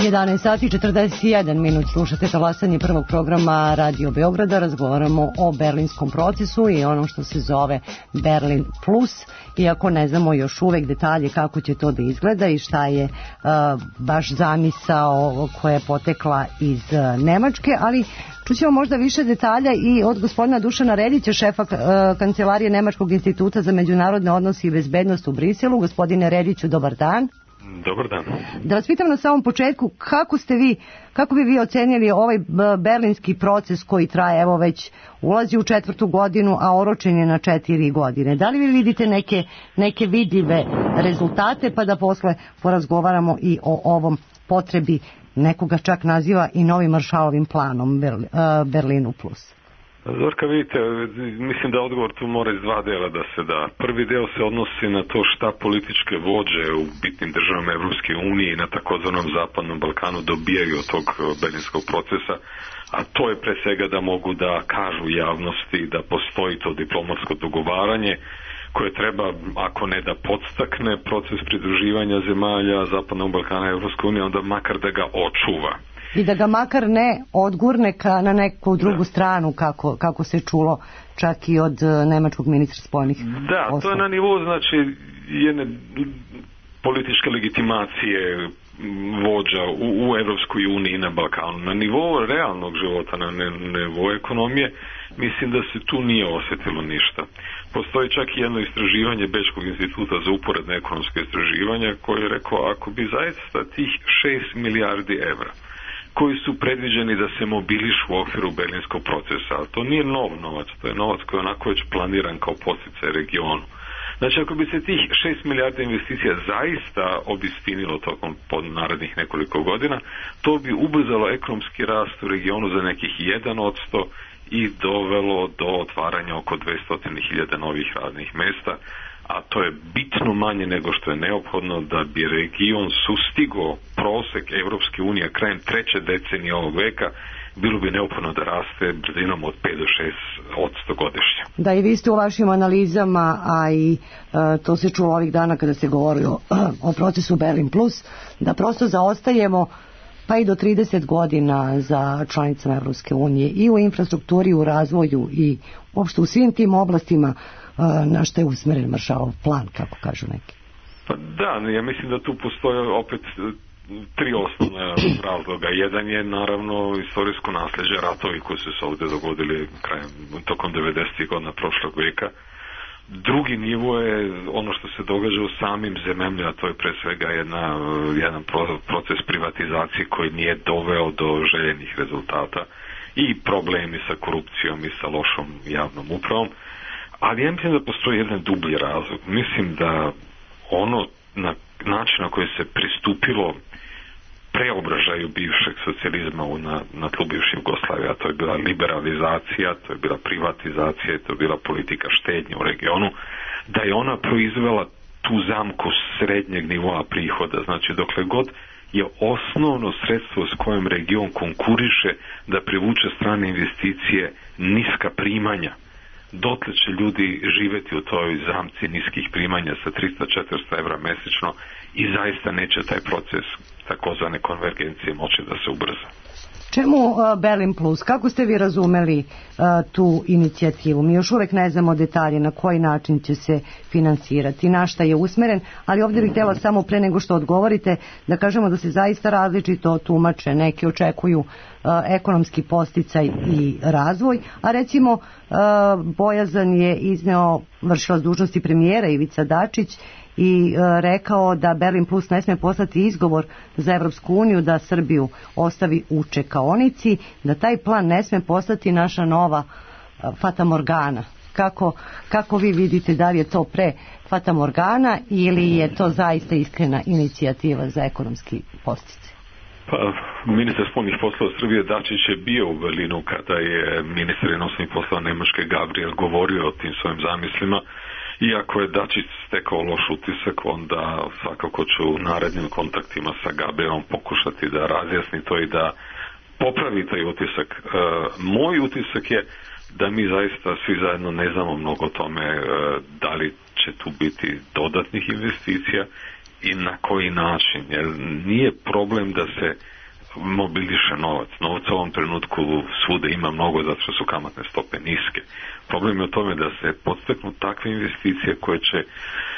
C: 11 sati 41 minut, slušate talasanje prvog programa Radio Beograda. Razgovaramo o berlinskom procesu i ono što se zove Berlin Plus, iako ne znamo još uvek detalje kako će to da izgleda i šta je baš zamisao koja je potekla iz Nemačke, ali čućemo možda više detalja i od gospodina Dušana Redića, šefa kancelarije Nemačkog instituta za međunarodne odnose i bezbednost u Briselu. Gospodine Rediću, dobar dan.
M: Dobar dan.
C: Da vas pitam na samom početku, kako bi vi ocenili ovaj berlinski proces koji traje, evo već ulazi u 4. godinu, a oročen je na 4 godine. Da li vi vidite neke vidljive rezultate, pa da posle porazgovaramo i o ovom potrebi, nekoga čak naziva i novim Maršalovim planom Berlinu Plus?
M: Zorka, vidite, mislim da odgovor tu mora iz dva dela da se da. Prvi deo se odnosi na to šta političke vođe u bitnim državama Evropske unije i na takozvanom Zapadnom Balkanu dobijaju od tog berlinskog procesa, a to je pre svega da mogu da kažu javnosti da postoji to diplomatsko dogovaranje koje treba, ako ne da podstakne proces pridruživanja zemalja Zapadnog Balkana i Evropske unije, onda makar da ga očuva.
C: I da ga makar ne odgurne na neku drugu stranu, kako se čulo čak i od nemačkog ministra spoljnih poslova.
M: To je na nivou, znači, jedne političke legitimacije vođa u Evropskoj uniji i na Balkanu. Na nivou realnog života, na nivou ekonomije, mislim da se tu nije osjetilo ništa. Postoji čak i jedno istraživanje Bečkog instituta za uporedne ekonomske istraživanja koje je rekao, ako bi zaista tih 6 milijardi evra koji su predviđeni da se mobilišu u okviru berlinskog procesa. To nije nov novac, to je novac koji je onako već planiran kao podsticaj regionu. Znači, ako bi se tih 6 milijardi investicija zaista obistinilo tokom narednih nekoliko godina, to bi ubrzalo ekonomski rast u regionu za nekih 1% i dovelo do otvaranja oko 200.000 novih radnih mesta, a to je bitno manje nego što je neophodno da bi region sustigao prosek Evropske unije krajem 3. decenije ovog veka. Bilo bi neophodno da raste brzinom od 5 do 6% godišnje.
C: Da, i vi ste u vašim analizama, a i to se čulo ovih dana kada se govori o procesu Berlin Plus, da prosto zaostajemo pa i do 30 godina za članicama Evropske unije i u infrastrukturi, u razvoju i uopšte u svim tim oblastima na što je usmeren Maršalov plan, kako kažu neki.
M: Pa da, ja mislim da tu postoje opet 3 osnovne razloga. Jedan je naravno istorijsko nasljeđe, ratovi koji su se ovdje dogodili tokom 90. godina prošlog veka. Drugi nivo je ono što se događa u samim zemljama, a to je pre svega jedan proces privatizacije koji nije doveo do željenih rezultata i problemi sa korupcijom i sa lošom javnom upravom. Ali ja mislim da postoji jedan dublji razlog. Mislim da ono na način na koji se pristupilo preobražaju bivšeg socijalizma na tlu bivše Jugoslavije, a to je bila liberalizacija, to je bila privatizacija, to je bila politika štednje u regionu, da je ona proizvela tu zamku srednjeg nivoa prihoda. Znači, dokle god je osnovno sredstvo s kojim region konkuriše da privuče strane investicije niska primanja, dotle će ljudi živeti u toj zamci niskih primanja sa 300-400 evra mesečno i zaista neće taj proces takozvane konvergencije moći da se ubrza.
C: Čemu Berlin Plus? Kako ste vi razumeli tu inicijativu? Mi još uvek ne znamo detalje na koji način će se finansirati, na šta je usmeren, ali ovdje bih htjela samo pre nego što odgovorite da kažemo da se zaista različito tumače. Neki očekuju ekonomski podsticaj i razvoj, a recimo bojazan je izneo vršilac dužnosti premijera Ivica Dačić i rekao da Berlin Plus ne sme postati izgovor za Evropsku uniju da Srbiju ostavi u čekaonici, da taj plan ne sme postati naša nova fatamorgana. Kako vi vidite, da li je to pre fatamorgana ili je to zaista iskrena inicijativa za ekonomski podsticaj?
M: Pa, ministar spoljnih poslova Srbije Dačić je bio u Berlinu kada je ministar inostranih poslova Nemačke Gabriel govorio o tim svojim zamislima. Iako je Dačić stekao loš utisak, onda svakako ću u narednim kontaktima sa Gabrielom pokušati da razjasni to i da popravi taj utisak. Moj utisak je da mi zaista svi zajedno ne znamo mnogo o tome da li će tu biti dodatnih investicija i na koji način. Jer nije problem da se mobiliše novac. Novca u ovom trenutku svuda ima mnogo zato što su kamatne stope niske. Problem je u tome da se podstaknu takve investicije koje će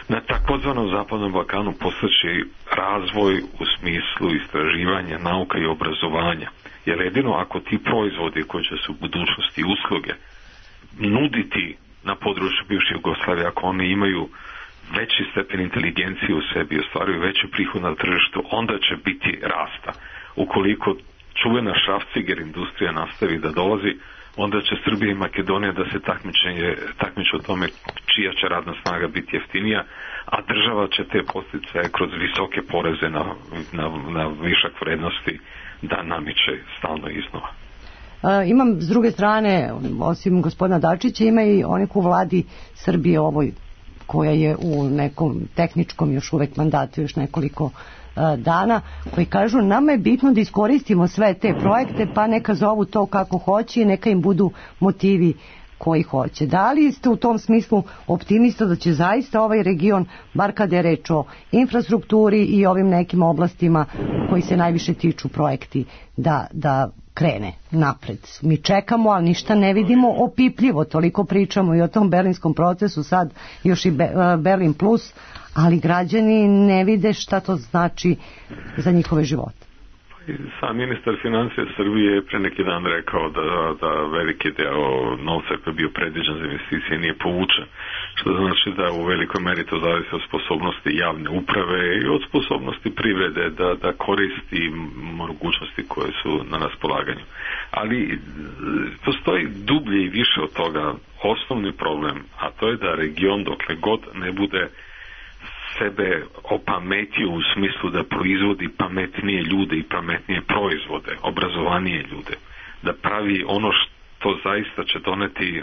M: na takozvanom Zapadnom Balkanu postaći razvoj u smislu istraživanja, nauka i obrazovanja. Jer jedino ako ti proizvodi koji će se u budućnosti usluge nuditi na području bivše Jugoslavije, ako oni imaju veći stepen inteligencije u sebi, ostvaruju veći prihod na tržištu, onda će biti rasta. Ukoliko čuvena šrafciger industrija nastavi da dolazi, onda će Srbija i Makedonija da se takmiče o tome čija će radna snaga biti jeftinija, a država će te podsticaje kroz visoke poreze na višak vrednosti da namiče stalno iznova.
C: Imam s druge strane, osim gospodina Dačića, ima i onih u vladi Srbije ovoj koja je u nekom tehničkom još uvek mandatu, još nekoliko dana, koji kažu nama je bitno da iskoristimo sve te projekte, pa neka zovu to kako hoće i neka im budu motivi koji hoće. Da li ste u tom smislu optimista da će zaista ovaj region, bar kada je reč o infrastrukturi i ovim nekim oblastima koji se najviše tiču projekti, da krene napred? Mi čekamo, ali ništa ne vidimo opipljivo, toliko pričamo i o tom berlinskom procesu, sad još i Berlin Plus, ali građani ne vide šta to znači za njihove živote.
M: Sam ministar financija Srbije je pre neki dan rekao da veliki deo novca koji je bio predviđen za investicije nije povučen, što znači da u velikoj meri to zavisi od sposobnosti javne uprave i od sposobnosti privrede da koristi mogućnosti koje su na raspolaganju. Ali postoji dublje i više od toga osnovni problem, a to je da region dokle god ne bude sebe opametio u smislu da proizvodi pametnije ljude i pametnije proizvode, obrazovanije ljude, da pravi ono što zaista će doneti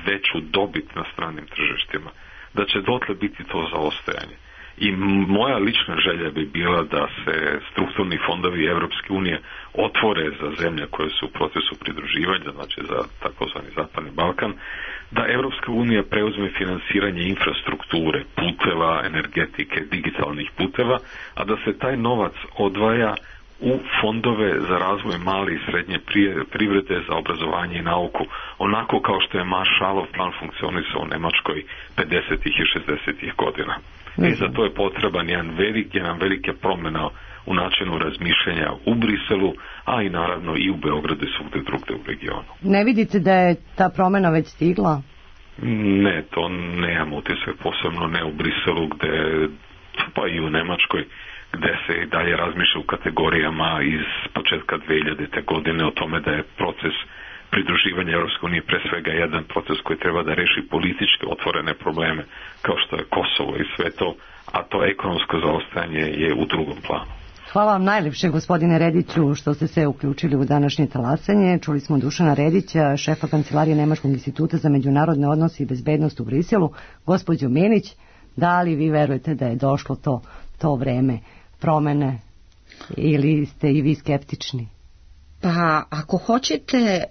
M: veću dobit na stranim tržištima, da će dotle biti to zaostajanje. I moja lična želja bi bila da se strukturni fondovi Evropske unije otvore za zemlje koje su u procesu pridruživanja, znači za takozvani Zapadni Balkan, da Evropska unija preuzme finansiranje infrastrukture, puteva, energetike, digitalnih puteva, a da se taj novac odvaja u fondove za razvoj male i srednje privrede, za obrazovanje i nauku, onako kao što je Marshallov plan funkcionisao u Nemačkoj 50. i 60. godina. I za to je potreban jedna velika promjena u načinu razmišljanja u Briselu, a i naravno i u Beogradu i svugde drugde u regionu.
C: Ne vidite da je ta promjena već stigla?
M: Ne, to nemam utisak, posebno ne u Briselu, pa i u Nemačkoj, gde se i dalje razmišlja u kategorijama iz početka 2000. godine o tome da je proces pridruživanja Europske unije pre svega jedan proces koji treba da reši političke otvorene probleme kao što je Kosovo i sve to, a to ekonomsko zaostajanje je u drugom planu.
C: Hvala vam najlepše, gospodine Rediću, što ste se uključili u današnje talasanje. Čuli smo Dušana Redića, šefa kancelarije Nemačkog instituta za međunarodne odnose i bezbednost u Briselu. Gospođo Minić, da li vi verujete da je došlo to vreme promene ili ste i vi skeptični?
E: Pa ako hoćete,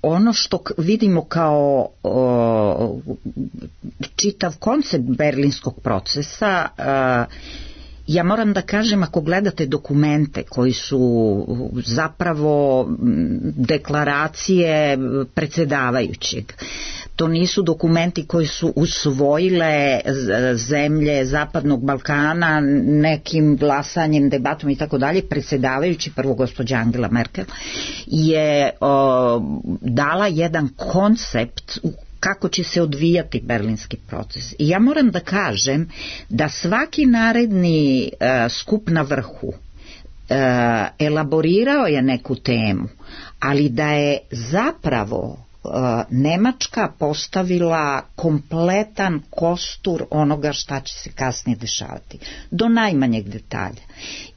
E: ono što vidimo kao čitav koncept berlinskog procesa, ja moram da kažem, ako gledate dokumente koji su zapravo deklaracije predsjedavajućeg, to nisu dokumenti koji su usvojile zemlje Zapadnog Balkana nekim glasanjem, debatom i tako dalje. Predsjedavajući, prvo gospođa Angela Merkel, je dala jedan koncept kako će se odvijati berlinski proces. I ja moram da kažem da svaki naredni skup na vrhu elaborirao je neku temu, ali da je zapravo Nemačka postavila kompletan kostur onoga šta će se kasnije dešavati, do najmanjeg detalja.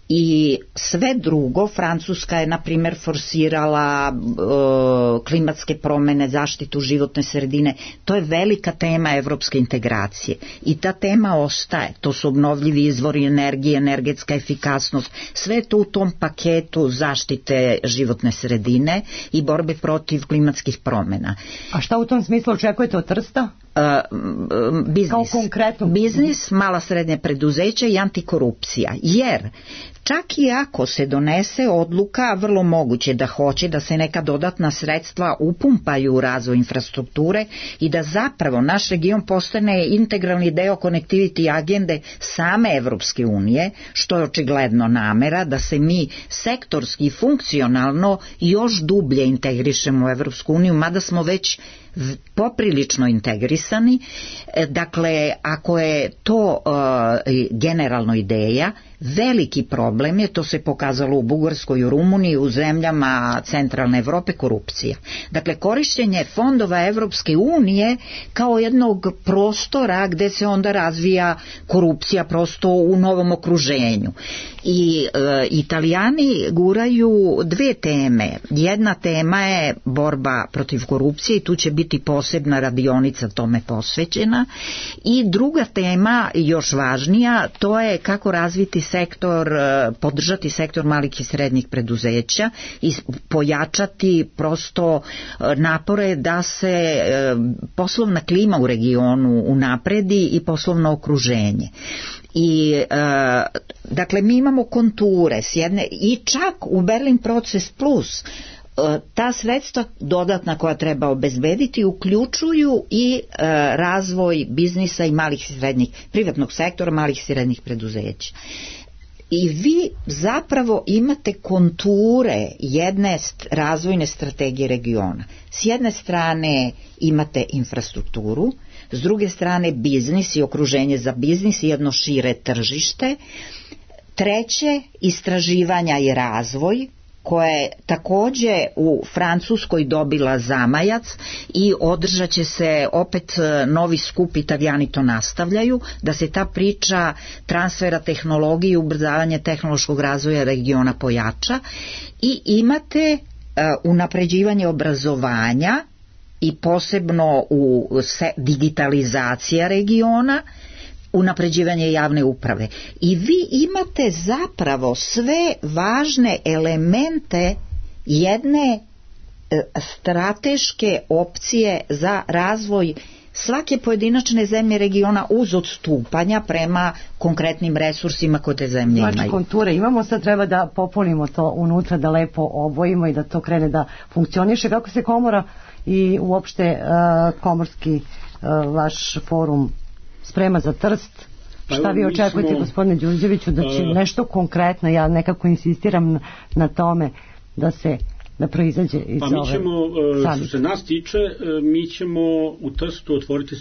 E: I sve drugo, Francuska je na primjer forsirala klimatske promjene, zaštitu životne sredine, to je velika tema evropske integracije i ta tema ostaje, to su obnovljivi izvori energije, energetska efikasnost, sve to u tom paketu zaštite životne sredine i borbe protiv klimatskih promjena.
C: A šta u tom smislu očekujete od Trsta?
E: Biznis.
C: Kao konkretno?
E: Biznis, mala srednja preduzeća i antikorupcija, jer čak i ako se donese odluka, vrlo moguće da hoće da se neka dodatna sredstva upumpaju u razvoj infrastrukture i da zapravo naš region postane integralni deo connectivity agende same Evropske unije, što je očigledno namera da se mi sektorski i funkcionalno još dublje integrišemo u Evropsku uniju, mada smo već poprilično integrisani. Dakle, ako je to generalno ideja, veliki problem je, to se pokazalo u Bugarskoj i u Rumuniji, u zemljama centralne Evrope, korupcija. Dakle, korištenje fondova Evropske unije kao jednog prostora gde se onda razvija korupcija prosto u novom okruženju. I Italijani guraju dve teme. Jedna tema je borba protiv korupcije i tu će biti posebna radionica tome posvećena. I druga tema, još važnija, to je kako razviti sektor, podržati sektor malih i srednjih preduzeća i pojačati prosto napore da se poslovna klima u regionu unapredi i poslovno okruženje. I dakle mi imamo konture s jedne, i čak u Berlin proces plus ta sredstva dodatna koja treba obezbediti uključuju i razvoj biznisa i malih i srednjih, privatnog sektora, malih i srednjih preduzeća. I vi zapravo imate konture jedne razvojne strategije regiona. S jedne strane imate infrastrukturu, s druge strane biznis i okruženje za biznis i jedno šire tržište. Treće, istraživanja i razvoj, koja je takođe u Francuskoj dobila zamajac i održat će se opet novi skup, Italijani to nastavljaju, da se ta priča transfera tehnologije i ubrzavanje tehnološkog razvoja regiona pojača. I imate unapređivanje obrazovanja i posebno u digitalizacija regiona, unapređivanje javne uprave. I vi imate zapravo sve važne elemente jedne strateške opcije za razvoj svake pojedinačne zemlje regiona uz odstupanja prema konkretnim resursima koje te zemlje imaju.
C: Znači konture imamo, sad treba da popunimo to unutra, da lepo obojimo i da to krene da funkcioniše. Kako se komora i uopšte komorski vaš forum sprema za Trst? Šta vi očekujete, gospodine Đurđeviću, da će nešto konkretno, ja nekako insistiram na tome da proizađe iz ove...
D: Pa mi ćemo, što se nas tiče, mi ćemo u Trstu otvoriti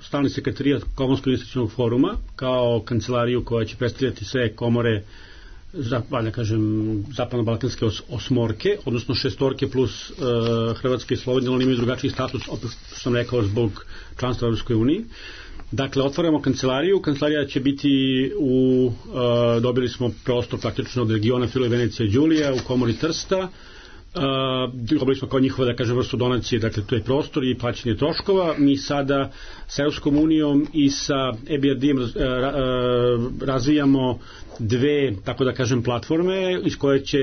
D: stalni sekretarijat Komorskog investicionog foruma kao kancelariju koja će predstavljati sve komore, da kažem, zapadno-balkanske osmorke, odnosno šestorke plus Hrvatska i Slovenija, oni imaju drugačiji status, opet što sam rekao, zbog članstva u Europskoj uniji. Dakle, otvaramo kancelariju. Kancelarija će biti dobili smo prostor praktično od regiona Friuli, Venecija i Đulija u komori Trsta. Dobili smo kao njihova, da kažem, vrstu donacije, dakle to je prostor i plaćanje troškova. Mi sada sa Europskom unijom i sa EBRD-om razvijamo dve, tako da kažem, platforme iz koje će,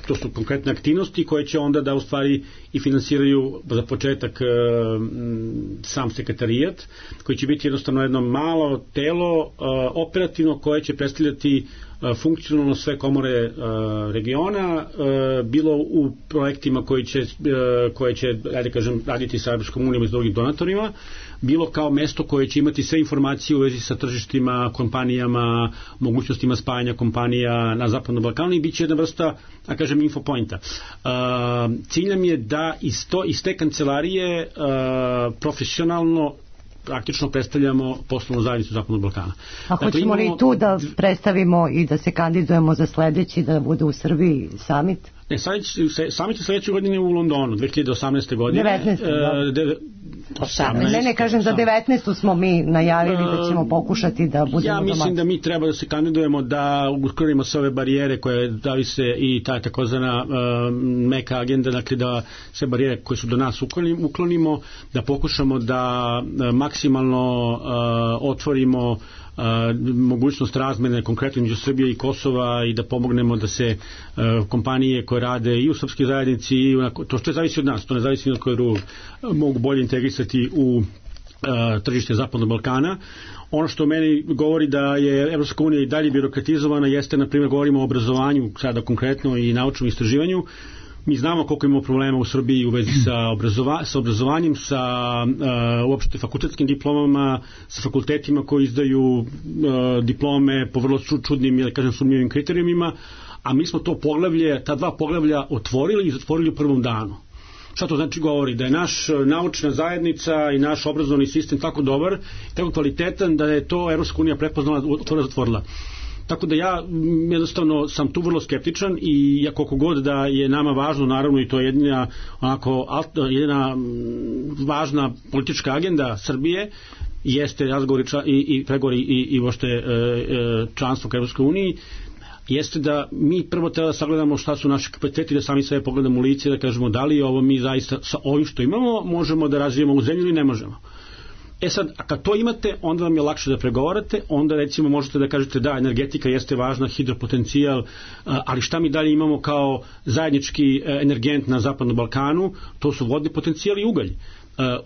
D: to su konkretne aktivnosti koje će onda da u stvari i finansiraju za početak sam sekretarijat, koji će biti jednostavno jedno malo telo operativno koje će predstavljati funkcionalno sve komore regiona, bilo u projektima koje će ajde kažem, raditi sa Europskom unijom i s drugim donatorima, bilo kao mesto koje će imati sve informacije u vezi sa tržištima, kompanijama, mogućnostima spajanja kompanija na Zapadnom Balkanu i bit će jedna vrsta, da kažem, infopointa. Cilj nam je da iz te kancelarije profesionalno praktično predstavljamo poslovnu zajednicu Zapadnog Balkana.
C: A hoćemo li tu da predstavimo i da se kandidujemo za sledeći, da bude u Srbiji summit?
D: Ne, summit je sledeće godine u Londonu, 2018. godine.
C: 19. Ne, kažem za 19. smo mi najavili da ćemo pokušati da budemo
D: Ja mislim da mi treba da se kandidujemo, da uklonimo sve ove barijere koje davi se i ta takozvana meka agenda, dakle da sve barijere koje su do nas uklonimo, da pokušamo da maksimalno otvorimo mogućnost razmene konkretno među Srbije i Kosova i da pomognemo da se kompanije koje rade i u srpskoj zajednici i to što zavisi od nas, to ne zavisi od koje drugog, mogu bolje integrisati u tržište Zapadnog Balkana. Ono što meni govori da je Evropska unija i dalje birokratizovana jeste, na primjer, govorimo o obrazovanju sada konkretno i naučnom istraživanju. Mi znamo koliko imamo problema u Srbiji u vezi sa obrazovanjem, sa uopšte fakultetskim diplomama, sa fakultetima koji izdaju diplome po vrlo čudnim, ili kažem, sumnjivim kriterijumima, a mi smo ta dva poglavlja otvorili i zatvorili u prvom danu. Šta to znači govori? Da je naš naučna zajednica i naš obrazovni sistem tako dobar, tako kvalitetan da je to Evropska unija prepoznala, zatvorila. Tako da ja jednostavno sam tu vrlo skeptičan i ja koliko god da je nama važno, naravno, i to je jedina važna politička agenda Srbije, jeste razgovori i pregovori i uopšte članstvo ka Evropskoj uniji, jeste da mi prvo treba da sagledamo šta su naši kapaciteti, da sami sebe pogledamo u lice i da kažemo da li ovo mi zaista sa ovim što imamo možemo da razvijemo u zemlju ili ne možemo. Sad, a kad to imate, onda vam je lakše da pregovarate, onda recimo možete da kažete da, energetika jeste važna, hidropotencijal, ali šta mi dalje imamo kao zajednički energent na Zapadnom Balkanu, to su vodni potencijal i ugalj.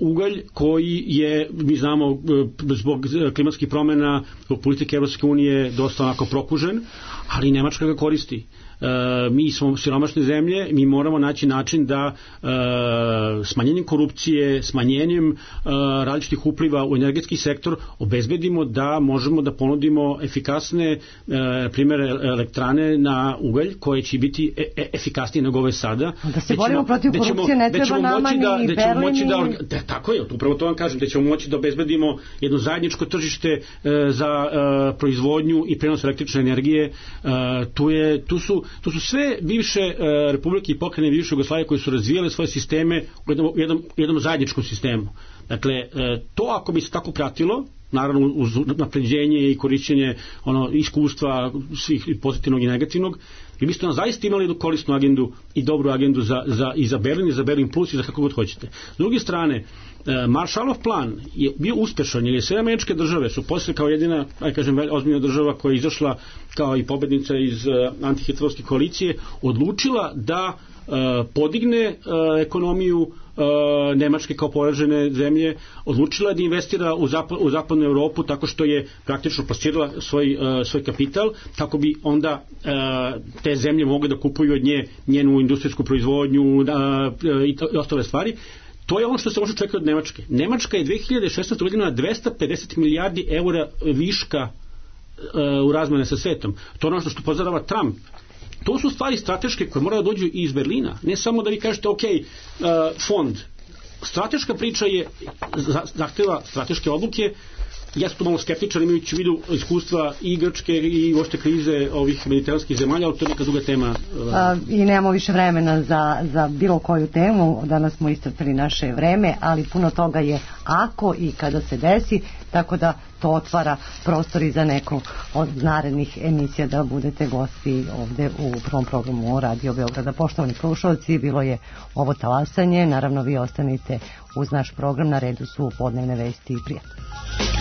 D: Ugalj koji je, mi znamo, zbog klimatskih promjena zbog politike Evropske unije dosta onako prokužen, ali Nemačka ga koristi. Mi smo siromašne zemlje, mi moramo naći način da smanjenjem korupcije, smanjenjem različitih upliva u energetski sektor obezbedimo da možemo da ponudimo efikasne primere elektrane na ugalj koje će biti efikasnije nego ove sada.
C: Da se borimo protiv korupcije ne treba nama ni Berlin.
D: Tako je, upravo to vam kažem, da ćemo moći da obezbedimo jedno zajedničko tržište za proizvodnju i prenos električne energije. Tu su sve bivše republike i pokrajine bivše Jugoslavije koje su razvijale svoje sisteme u jednom zajedničkom sistemu. Dakle, to ako bi se tako pratilo, naravno uz napređenje i korišćenje iskustva svih pozitivnog i negativnog, vi biste nam zaista imali jednu korisnu agendu i dobru agendu i za Berlin i za Berlin plus i za kako god hoćete. S druge strane, Marshallov plan je bio uspešan jer je sve američke države su posle kao jedina, ozbiljna država koja je izašla kao i pobednica iz antihitlerovske koalicije, odlučila da podigne ekonomiju Nemačke kao poražene zemlje, odlučila da investira u zapadnu Evropu tako što je praktično plasirala svoj kapital, kako bi onda te zemlje mogle da kupuju od nje njenu industrijsku proizvodnju i ostale stvari. To je ono što se može čekati od Nemačke. Nemačka je 2016. godina 250 milijardi eura viška u razmene sa svetom. To je ono što pozorava Trump. To su stvari strateške koje moraju da dođu iz Berlina. Ne samo da vi kažete, fond. Strateška priča zahteva strateške odluke ja sam tu malo skeptičan imajući u vidu iskustva i Grčke i uopšte krize ovih mediteranskih zemalja, ali to je neka druga tema.
C: I nemamo više vremena za bilo koju temu, danas smo iscrpili naše vreme, ali puno toga je ako i kada se desi, tako da to otvara prostor i za neku od narednih emisija da budete gosti ovde u prvom programu Radio Beograda. Poštovani slušalci, bilo je ovo talasanje, naravno vi ostanite uz naš program, na redu su podnevne vesti i prijatno.